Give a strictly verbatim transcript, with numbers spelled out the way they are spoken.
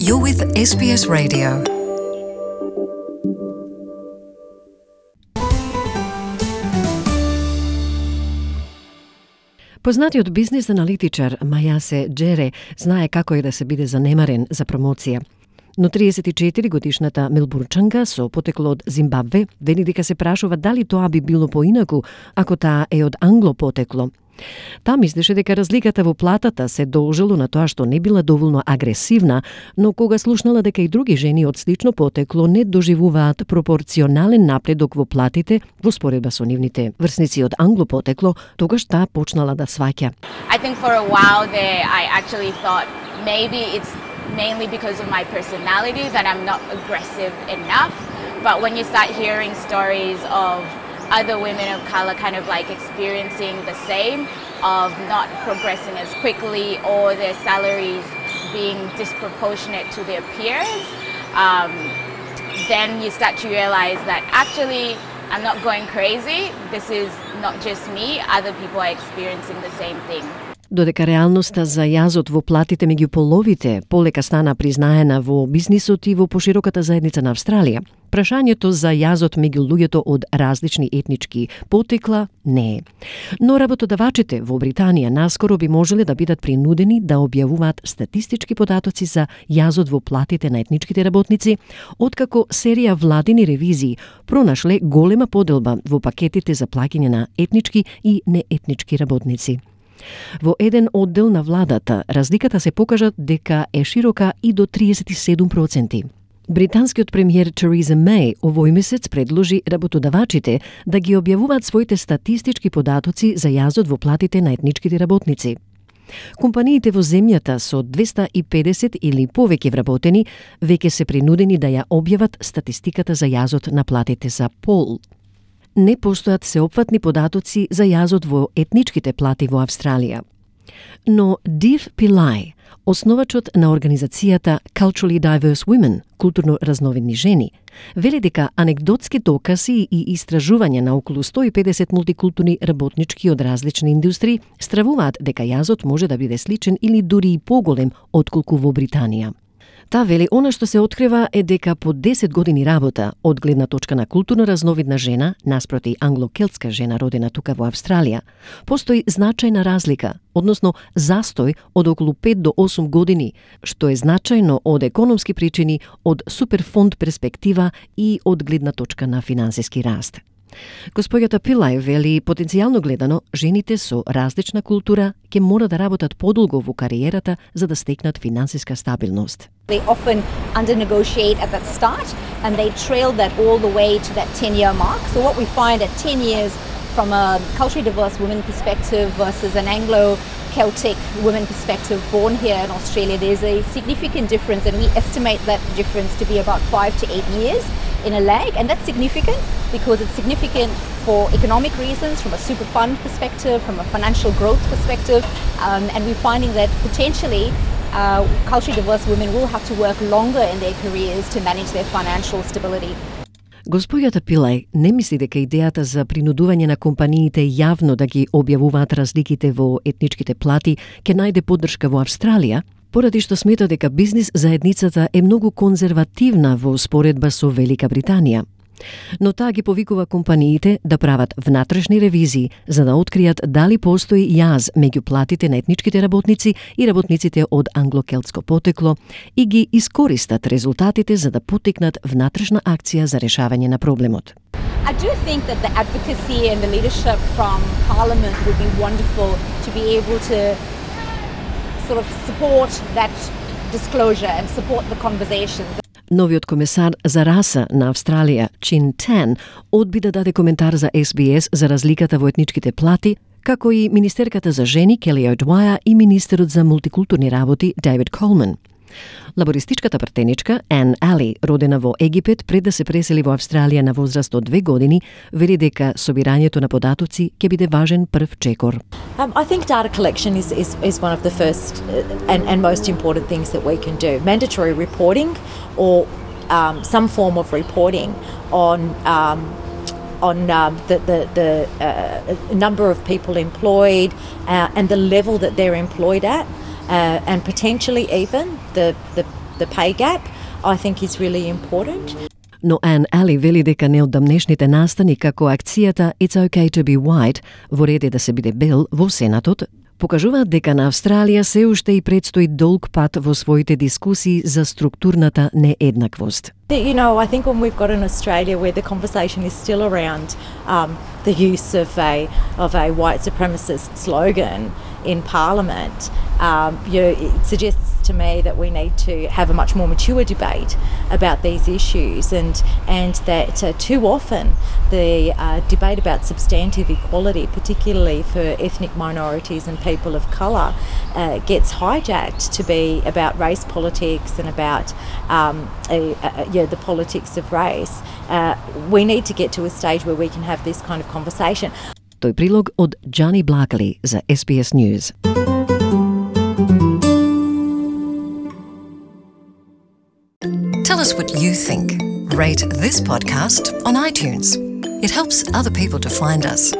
You're with S B S Radio. Познатиот бизнис аналитичар Мајасе Джере знае како е да се биде занемарен за промоција. Но триесет и четири годишната мелбурнчанка со потекло од Зимбабве вели дека се прашува дали тоа би било поинаку ако таа е од англо потекло. Таа мислеше дека разликата во платата се должело на тоа што не била доволно агресивна, но кога слушнала дека и други жени од слично потекло не доживуваат пропорционален напредок во платите во споредба со нивните врсници од англо потекло, тогаш таа почнала да сваќа. I think for a while there I actually thought maybe it's mainly because of my personality that I'm not aggressive enough, but when you start hearing stories of other women of color kind of like experiencing the same, of not progressing as quickly or their salaries being disproportionate to their peers, um, then you start to realize that actually I'm not going crazy. This is not just me, other people are experiencing the same thing. Додека реалноста за јазот во платите меѓу половите полека стана признаена во бизнисот и во пошироката заедница на Австралија, прашањето за јазот меѓу луѓето од различни етнички потекла не е. Но работодавачите во Британија наскоро би можеле да бидат принудени да објавуваат статистички податоци за јазот во платите на етничките работници, откако серија владини ревизии пронашле голема поделба во пакетите за плаќање на етнички и неетнички работници. Во еден оддел на владата, разликата се покажа дека е широка и до триесет и седум проценти. Британскиот премиер Тереза Меј овој месец предложи работодавачите да ги објавуваат своите статистички податоци за јазот во платите на етничките работници. Компаниите во земјата со двеста и педесет или повеќе вработени веќе се принудени да ја објават статистиката за јазот на платите за пол. Не постојат сеопфатни податоци за јазот во етничките плати во Австралија. Но Див Пилај, основачот на организацијата Culturally Diverse Women, културно разновидни жени, вели дека анегдотски докази и истражувања на околу сто и педесет мултикултурни работнички од различни индустрии стравуваат дека јазот може да биде сличен или дури и поголем отколку во Британија. Та вели, она што се открива е дека по десет години работа од гледна точка на културно разновидна жена, наспроти англо-келтска жена родена тука во Австралија, постои значајна разлика, односно застој од околу пет до осум години, што е значајно од економски причини, од суперфонд перспектива и од гледна точка на финансиски раст. Господјата Пилај вели, потенцијално гледано, жените со различна култура ќе мора да работат подолго во кариерата за да стекнат финансиска стабилност. They often under-negotiate at that start and they trail that all the way to that ten-year mark. So what we find at ten years from a culturally diverse women perspective versus an Anglo-Celtic women perspective born here in Australia, there's a significant difference, and we estimate that difference to be about five to eight years in a lag, and that's significant because it's significant for economic reasons, from a super fund perspective, from a financial growth perspective, um, and we're finding that potentially uh, culturally diverse women will have to work longer in their careers to manage their financial stability. Господјата Пилај не мисли дека идејата за принудување на компаниите јавно да ги објавуваат разликите во етничките плати ќе најде поддршка во Австралија, поради што смета дека бизнис заедницата е многу конзервативна во споредба со Велика Британија. Но таа ги повикува компаниите да прават внатрешни ревизии за да откријат дали постои јаз меѓу платите на етничките работници и работниците од англо-келтско потекло и ги искористат резултатите за да потекнат внатрешна акција за решавање на проблемот. I do think that the advocacy and the leadership from Parliament would be wonderful to be able to sort of support that disclosure and support the conversations. Новиот комесар за раса на Австралија, Чин Тан, одби да даде коментар за Ес Би Ес за разликата во етничките плати, како и министерката за жени Келли О'Дваја и министерот за мултикултурни работи Дейвид Колман. Лабористичката партеничка Ан Али, родена во Египет пред да се пресели во Австралија на возраст од две години, вели дека собирањето на податоци ќе биде важен прв чекор. Um, I think data collection is, is, is one of the first and, and most important things that we can do. Mandatory reporting or um, some form of reporting on um, on um, the, the, the uh, number of people employed uh, and the level that they're employed at. Uh, and potentially even the, the the pay gap, I think is really important. Но Ан Али вели дека неодамнешните настани како акцијата It's okay to be white, во ред е да се биде бел во Сенатот, покажуваат дека на Австралија се уште и предстои долг пат во своите дискусии за структурната нееднаквост. You know, I think when we've got in Australia where the conversation is still around um, the use of a of a white supremacist slogan in Parliament, um, you know, it suggests to me that we need to have a much more mature debate about these issues, and and that uh, too often the uh, debate about substantive equality, particularly for ethnic minorities and people of colour, uh, gets hijacked to be about race politics and about um, a, a, you know, the politics of race. Uh, we need to get to a stage where we can have this kind of conversation. Тој прилог од Джани Блакли за S B S News. Tell us what you think. Rate this podcast on iTunes. It helps other people to find us.